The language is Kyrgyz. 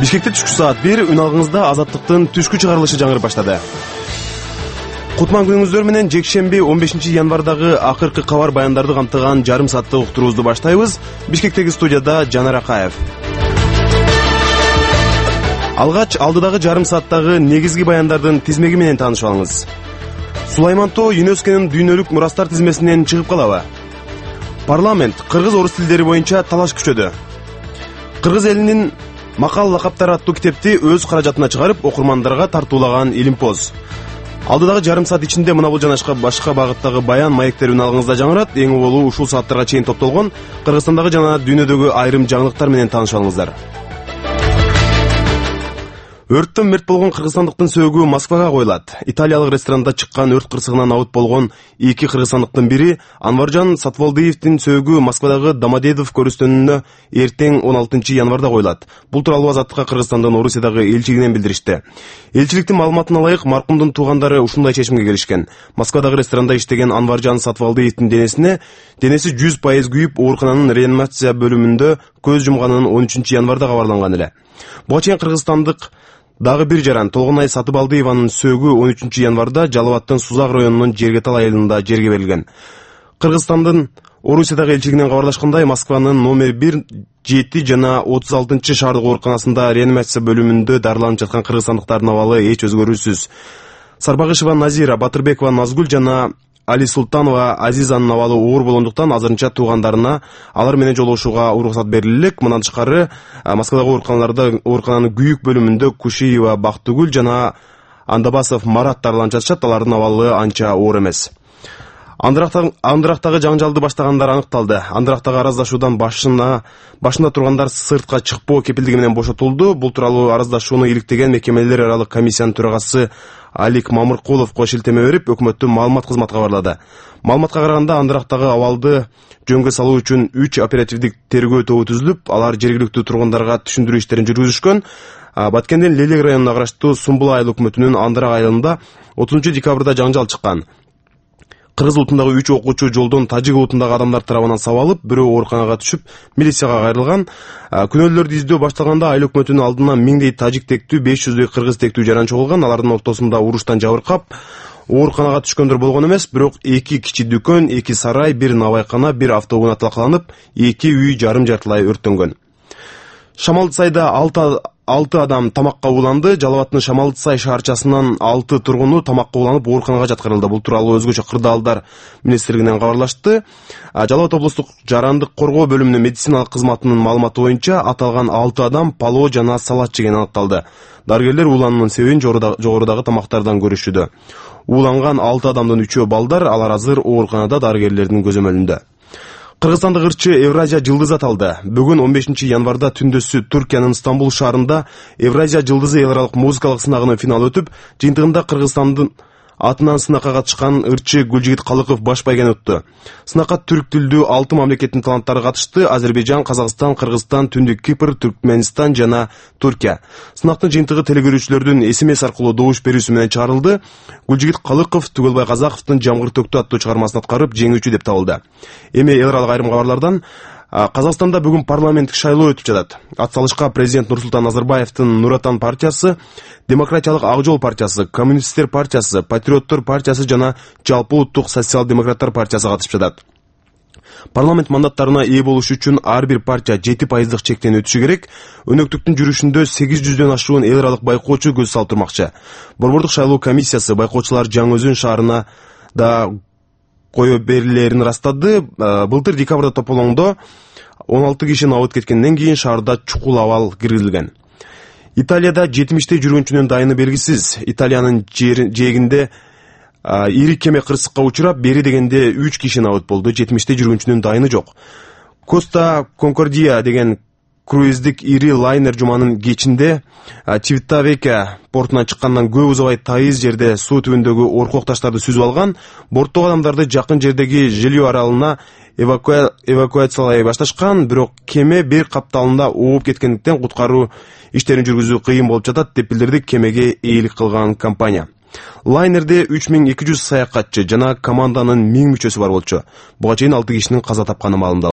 Бишкекте түшкү саат 1 үн алгыңызда Азаттыктын түшкү чыгарылышы жаңырып баштады. Кутман күнүңүздөр менен жекшемби 15 январдагы акыркы кабар баяндарды камтыган жарым сааттык уктуруубузду баштайбыз. Бишкектеги студияда Жанар Акаев. Алгач алдыдагы жарым сааттагы негизги баяндардын тизмеги менен таанышып алыңыз. Сулайман Тоо ЮНЕСКОнун дүйнөлүк мурастар тизмесинен чыгып калабы? Парламент кыргыз-орус тилдери боюнча талаш күчөдү. Кыргыз элинин макал лакаптары аттуу китепти өз каражатына чыгарып, окурмандарга тартуулаган Илимпоз. Алдыдагы жарым саат ичинде мына бул жана башка багыттагы баян маектер үн алгыңызда жаңырат. Эң уболу ушул сааттарга чейин топтолгон Кыргызстандагы жана дүйнөдөгү айрым жаңылыктар менен таанышып алыңыздар. Өрттөн мерт болгон кыргызстандыктын сөөгү Москвага коюлат. Италиялык ресторанда чыккан өрт кырсыгынан абыт болгон эки кыргызстандыктын бири Анваржан Сатвалдиевдин сөөгү Москвадагы Домодедов көрүстөнүнө эртең 16 январда коюлат. Бул тууралуу Азаттыкка Кыргызстандын Орусиядагы элчилигинен билдиришти. Элчиликтин маалыматына ылайык, маркумдун туугандары ушундай чечимге келишкен. Москвадагы ресторанда иштеген Анваржан Сатвалдиевдин денеси 100% күйүп, оорукананын реанимация бөлүмүндө көз жумганын 13 январда кабарланган эле. Буга чейин кыргызстандык дагы бир жаран Толгонай Сатыбалдиеванын сөөгү 13 январда Жалал Абадтын Сузак районунун Жергетал айылында жерге берилген. Кыргызстандын Орусиядагы элчилигинен кабарлашкандай, Москванын номер 1, 7 жана 36 шаардык ооруканасында реанимация бөлүмүндө дарыланып жаткан кыргызстандыктардын абалы эч өзгөрүүсүз. Сарбагышева Назира, Батырбекова Назгүл жана Али Султанова Азизанын абалы оор болгондуктан азырынча туугандарына алар менен жолугушууга уруксат бериле элек. Мындан тышкары, Москвадагы оорукананын күйүк бөлүмүндө Кушиева Бактыгүл жана Андабасов Марат дарыланып жатышат. Алардын абалы анча оор эмес. Андырактагы жаңжалды баштагандар аныкталды. Андырактагы араздашуудан башында тургандар сыртка чыкпоо кепилдиги менен бошотулду. Бул тууралуу араздашууну иликтеген мекемелер аралык комиссиянын төрагасы Алик Мамыркулов шилтеме берип, өкмөттүн маалымат кызматы кабарлады. Маалыматка караганда, Андырактагы абалды жөнгө салуу үчүн 3 оперативдик тергөө тобу түзүлүп, алар жергиликтүү тургундарга түшүндүрүү иштерин жүргүзүшкөн. Баткендин Лелек районуна караштуу Сумбул айыл өкмөтүнүн Андырак айылында 30 декабрда жаңжал чыккан. Кыргыз улутундагы 3 окуучу жолдон тажик улутундагы адамдар тарабынан сабалып, бирөө ооруканага түшүп, милицияга кайрылган. Күнөөлөрдү издөө башталганда айыл өкмөтүнүн алдына 1000дей тажик тектүү, 500дей кыргыз тектүү жаран чогулган. Алардын ортосунда уруштан жабыркап, ооруканага түшкөндөр болгон эмес, бирок 2 кичи дүкөн, 2 сарай, 1 навайкана, 1 автоунаа талкаланып, 2 үй жарым-жартылай өрттөнгөн. Шамалдысайда 6 адам тамакка ууланды. Жалал Абадтын Шамалдысай шаарчасынан 6 тургуну тамакка ууланып ооруканага жаткырылды. Бул тууралуу өзгөчө кырдаалдар министрлигинен кабарлашты. Жалал Абад облустук жарандык коргоо бөлүмүнүн медициналык кызматынын маалыматы боюнча аталган 6 адам пало жана салат жеген аныкталды. Дарыгерлер уулануунун себебин жогорудагы тамактардан көрүшүүдө. Ууланган 6 адамдын 3-өө балдар, алар азыр ооруканада дарыгерлердин көзөмөлүндө. Кыргызстандык ырчы Евразия жылдызы аталды. Бүгүн 15 январда түндөсү Түркиянын Стамбул шаарында Евразия жылдызы эл аралык музыкалык сынагынын финалы өтүп, жыйынтыгында Кыргызстандын атынан сынакка катышкан ырчы Гүлжигит Калыков баш байгени өттү. Сынакка түрк тилдүү 6 мамлекеттин таланттары катышты: Азербайжан, Казакстан, Кыргызстан, Түндүк Кипр, Түркмөнстан жана Туркия. Сынактын жыйынтыгы телекөрүүчүлөрдүн SMS аркылуу добуш берүүсү менен чыгарылды. Гүлжигит Калыков Түгөлбай Казаковдун Жамгыр төктү аттуу чыгармасын аткарып, жеңүүчү деп табылды. Эми эл аралык айрым кабарлардан: Казакстанда бүгүн парламенттик шайлоо өтүп жатат. Атсалышка президент Нурсултан Назарбаевдин Нур Отан партиясы, Демократиялык Ак Жол партиясы, Коммунисттер партиясы, Патриоттор партиясы жана Жалпы улуттук социал-демократтар партиясы катышып жатат. Парламент мандаттарына ээ болуш үчүн ар бир партия 7% чектен өтүшү керек. Өнөктүктүн жүрүшүндө 800дөн ашуун эл аралык байкоочу көз салып турмакчы. Борбордук шайлоо комиссиясы байкоочулар Жаңы Өзөн шаарына да кое берилерин ырастады. Былтыр декабрда тополоңдо 16 кишинин абыт кеткенден кийин шаарда чукул абал киргизилген. Италияда 70-те жүргүнчүнүн дайыны белгисиз. Италиянын жээгинде ири кеме кырсыкка учурап, бери дегенде 3 киши абыт болду. 70-те жүргүнчүнүн дайыны жок. Коста Конкордия деген круиздик ири лайнер жуманын кечинде Чивиттавекия портунан чыккандан көп узабай тайыз жерде суу түбүндөгү оркок таштарды сүзүп алган. Борттогу адамдарды жакын жердеги Жилио аралына эвакуациялай башташкан, бирок кеме бир капталында ооп кеткендиктен куткаруу иштерин жүргүзүү кыйын болуп жатат деп билдирди кемеге ээлик кылган компания. Лайнерде 3200 саякатчы жана команданын 1000 мүчөсү бар болчу. Буга чейин 6 кишинин каза тапканы маалымдалды.